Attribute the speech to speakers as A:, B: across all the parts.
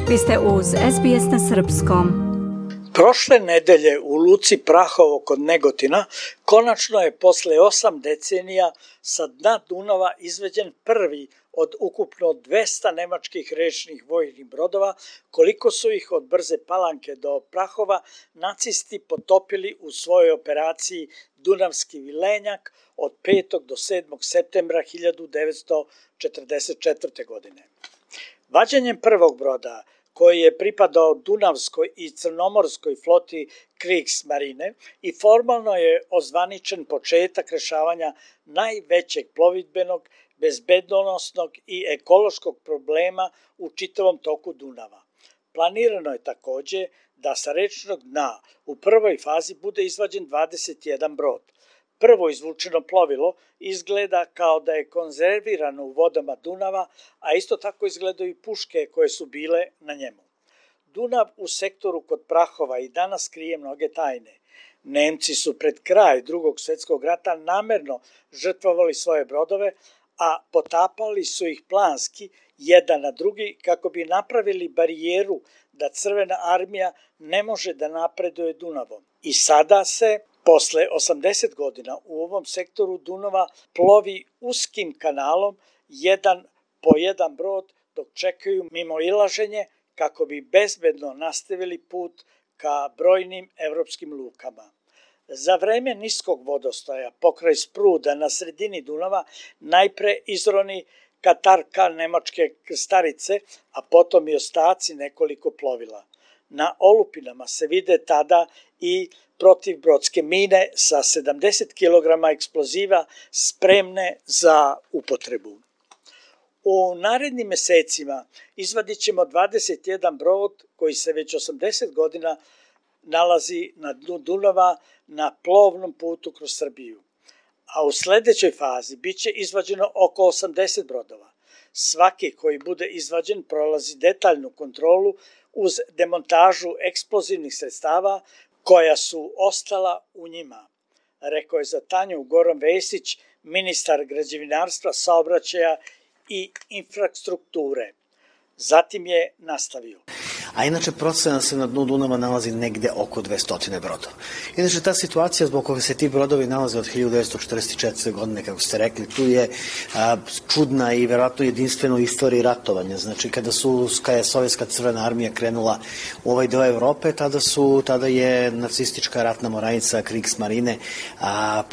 A: Vi ste uz SBS na srpskom.
B: Prošle nedelje u luci Prahovo kod Negotina konačno je posle 8 decenija sa dna Dunava izveđen prvi od ukupno 200 nemačkih rečnih vojnih brodova, koliko su ih od Brze Palanke do Prahova nacisti potopili u svojoj operaciji Dunavski vilenjak od 5. do 7. septembra 1944. godine. Vađenjem prvog broda, koji je pripadao Dunavskoj i Crnomorskoj floti Kriegsmarine i formalno je ozvaničen početak rešavanja najvećeg plovidbenog, bezbednosnog i ekološkog problema u čitavom toku Dunava. Planirano je takođe da sa rečnog dna u prvoj fazi bude izvađen 21 brod. Prvo izvučeno plovilo izgleda kao da je konzervirano u vodama Dunava, a isto tako izgledaju i puške koje su bile na njemu. Dunav u sektoru kod Prahova i danas krije mnoge tajne. Nemci su pred kraj Drugog svjetskog rata namerno žrtvovali svoje brodove, a potapali su ih planski jedan na drugi kako bi napravili barijeru da Crvena armija ne može da napreduje Dunavom. I sada se posle 80 godina u ovom sektoru Dunava plovi uskim kanalom jedan po jedan brod dok čekaju mimoilaženje kako bi bezbedno nastavili put ka brojnim evropskim lukama. Za vreme niskog vodostaja pokraj Spruda na sredini Dunava najpre izroni katarka nemačke krstarice, a potom i ostaci nekoliko plovila. Na olupinama se vide tada i protivbrodske mine sa 70 kg eksploziva spremne za upotrebu. U narednim mesecima izvadit ćemo 21 brod koji se već 80 godina nalazi na dnu Dunava na plovnom putu kroz Srbiju. A u sledećoj fazi bit će izvađeno oko 80 brodova. Svaki koji bude izvađen prolazi detaljnu kontrolu uz demontažu eksplozivnih sredstava koja su ostala u njima, rekao je za Tanju Goran Vesić, ministar građevinarstva, saobraćaja i infrastrukture. Zatim je nastavio.
C: A inače procena se na dnu Dunava nalazi negde oko 200 brodova. Inače ta situacija zbog koje se ti brodovi nalaze od 1944. godine, kako ste rekli, tu je čudna i verovatno jedinstvena u istoriji ratovanja. Znači kada je Sovjetska crvena armija krenula u ovaj deo Evrope, tada je nacistička ratna mornarica Kriegsmarine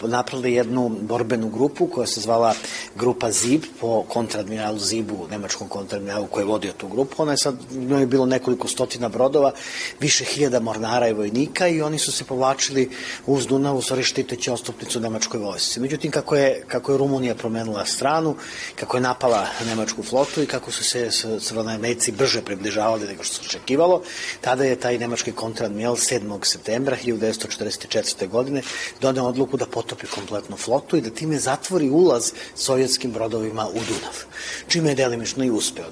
C: napravila jednu borbenu grupu koja se zvala grupa Zib po kontradmiralu Zibu, nemačkom kontradmiralu koji je vodio tu grupu. Ona je sad, je bilo nekoliko stotina brodova, više hiljada mornara i vojnika i oni su se povlačili uz Dunav, u stvari štiteći ostupnicu nemačkoj vojsci. Međutim, kako je Rumunija promenila stranu, kako je napala nemačku flotu i kako su se crvenoarmejci brže približavali nego što se očekivalo, tada je taj nemački kontradmiral 7. septembra 1944. godine doneo odluku da potopi kompletnu flotu i da time zatvori ulaz sovjetskim brodovima u Dunav. Čime je delimično i uspeo.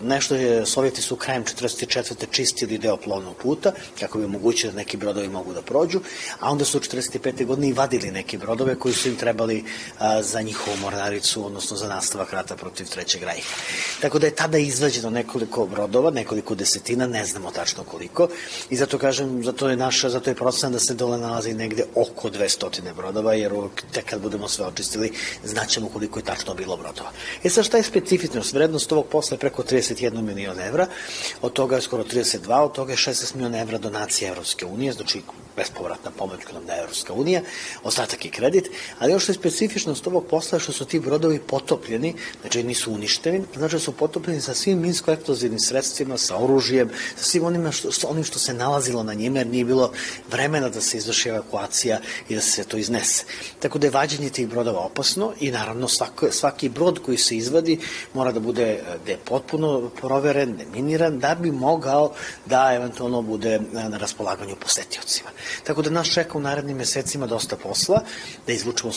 C: Sovjeti su krajem 1944. čistili deo plovnog puta, kako bi omogućili da neki brodovi mogu da prođu, a onda su u 1945. godine i vadili neke brodove koji su im trebali za njihovu mornaricu, odnosno za nastavak rata protiv Trećeg rajha. Tako da je tada izvađeno nekoliko brodova, nekoliko desetina, ne znamo tačno koliko, i zato kažem, zato je procena da se dole nalazi negde oko 200 brodova, jer tek kad budemo sve očistili, znaćemo koliko je tačno bilo brodova. Sad šta je specifičnost? Vrednost ovog posla je preko 31 milion evra, od toga je skoro 32, od toga je 16 miliona evra donacije Evropske unije, znači bespovratna pomoć koju nam daje Evropska unija, ostatak je kredit, ali ono što je specifičnost ovog posla je što su ti brodovi potopljeni, znači nisu uništeni, znači da su potopljeni sa svim minsko-eksplozivnim sredstvima, sa oružjem, sa svim onim što se nalazilo na njima, jer nije bilo vremena da se izvrši evakuacija i da se to iznese. Tako da je vađenje tih brodova opasno i naravno svaki brod koji se izvadi mora da bude potpuno proveren, deminiran, da bi mogao da eventualno bude na raspolaganju posetiocima. Tako da nas čeka u narednim mesecima dosta posla, da izvučemo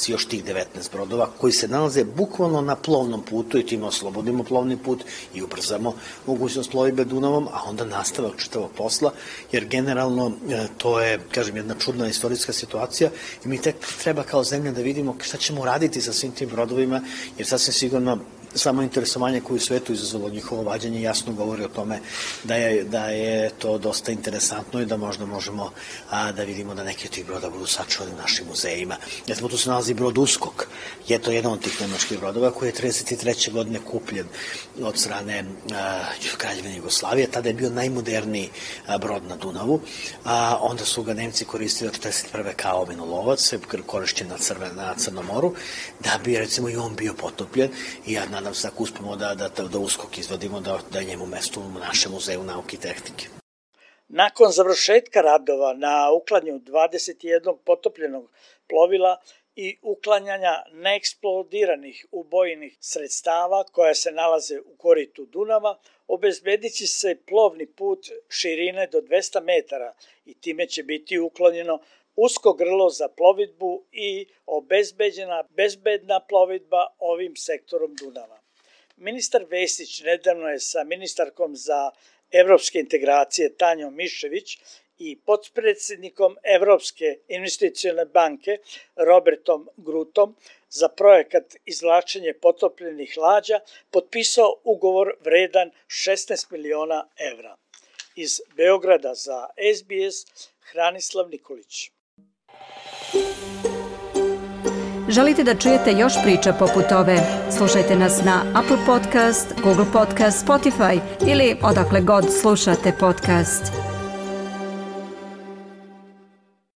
C: još tih 19 brodova koji se nalaze bukvalno na plovnom putu i time oslobodimo plovni put i ubrzamo mogućnost plovidbe Dunavom, a onda nastavak čitavog posla, jer generalno to je, kažem, jedna čudna istorijska situacija i mi tek treba kao zemlja da vidimo šta ćemo raditi sa svim tim brodovima, jer sasvim sigurno samo interesovanje koje u svetu izazvalo njihovo vađenje jasno govori o tome da je to dosta interesantno i da možda možemo da vidimo da neki od tih broda budu sačuvani u našim muzejima. Recimo, tu se nalazi brod Uskok. Je to jedan od tih nemačkih brodova koji je 1933. godine kupljen od strane Kraljevine Jugoslavije. Tada je bio najmoderniji brod na Dunavu. Onda su ga Nemci koristili od 1941. kao minolovac, korišćen na Crnom moru, da bi recimo i on bio potopljen i ja nadam se ako uspemo da Uskok izvodimo, da je njemu mesto u našem muzeju nauke i tehnike.
B: Nakon završetka radova na uklanjanju 21 potopljenog plovila i uklanjanja neeksplodiranih ubojnih sredstava koja se nalaze u koritu Dunava, obezbedit će se plovni put širine do 200 metara i time će biti uklonjeno usko grlo za plovidbu i obezbeđena bezbedna plovidba ovim sektorom Dunava. Ministar Vesić nedavno je sa ministarkom za evropske integracije Tanjom Mišević i potpredsednikom Evropske investicione banke Robertom Grutom za projekat izvlačenje potopljenih lađa potpisao ugovor vredan 16 miliona evra. Iz Beograda za SBS Hranislav Nikolić.
A: Želite da čujete još priča poput ove? Slušajte nas na Apple Podcast, Google Podcast, Spotify ili odakle god slušate podcast.